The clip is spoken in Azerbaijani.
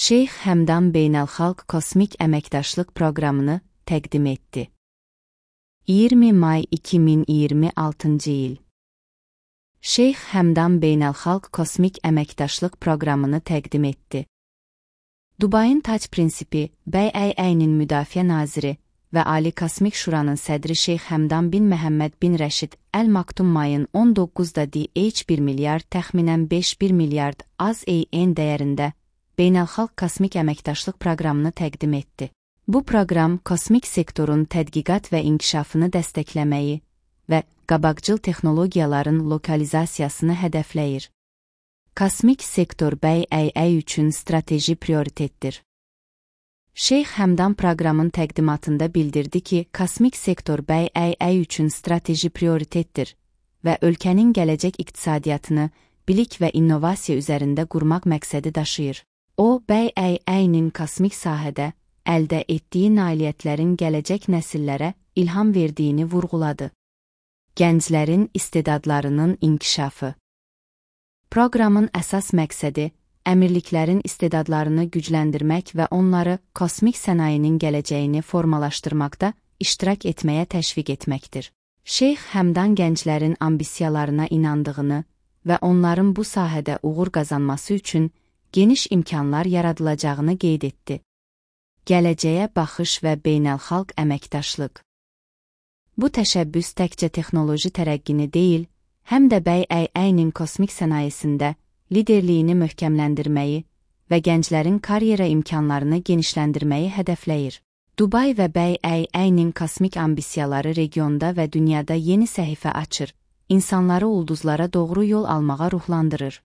Şeyx Həmdan Beynəlxalq Kosmik Əməkdaşlıq Proqramını təqdim etdi. 20 may 2026-cı il. Şeyx Həmdan Beynəlxalq Kosmik Əməkdaşlıq Proqramını təqdim etdi. Dubayın tac prinsipi, Bəy Əyninin müdafiə naziri və Ali Kosmik Şuranın sədri Şeyx Həmdan bin Məhəmməd bin Rəşid Əl Maktum mayın 19-da DH 1 milyard təxminən 5 milyard AZN dəyərində Beynəlxalq Kosmik Əməkdaşlıq Proqramını təqdim etdi. Bu proqram kosmik sektorun tədqiqat və inkişafını dəstəkləməyi və qabaqcıl texnologiyaların lokalizasiyasını hədəfləyir. Kosmik sektor Bəy üçün strateji prioritetdir. Şeyx Həmdan proqramın təqdimatında bildirdi ki, kosmik sektor Bəy üçün strateji prioritetdir və ölkənin gələcək iqtisadiyyatını bilik və innovasiya üzərində qurmaq məqsədi daşıyır. O, Bəy Əynin kosmik sahədə əldə etdiyi nailiyyətlərin gələcək nəsillərə ilham verdiyini vurğuladı. Gənclərin istedadlarının inkişafı. Proqramın əsas məqsədi əmirliklərin istedadlarını gücləndirmək və onları kosmik sənayinin gələcəyini formalaşdırmaqda iştirak etməyə təşviq etməkdir. Şeyx Həmdan gənclərin ambisiyalarına inandığını və onların bu sahədə uğur qazanması üçün geniş imkanlar yaradılacağını qeyd etdi. Gələcəyə baxış və beynəlxalq əməkdaşlıq. Bu təşəbbüs təkcə texnoloji tərəqqini deyil, həm də Bəy Əynin kosmik sənayesində liderliyini möhkəmləndirməyi və gənclərin karyera imkanlarını genişləndirməyi hədəfləyir. Dubay və Bəy Əynin kosmik ambisiyaları regionda və dünyada yeni səhifə açır, insanları ulduzlara doğru yol almağa ruhlandırır.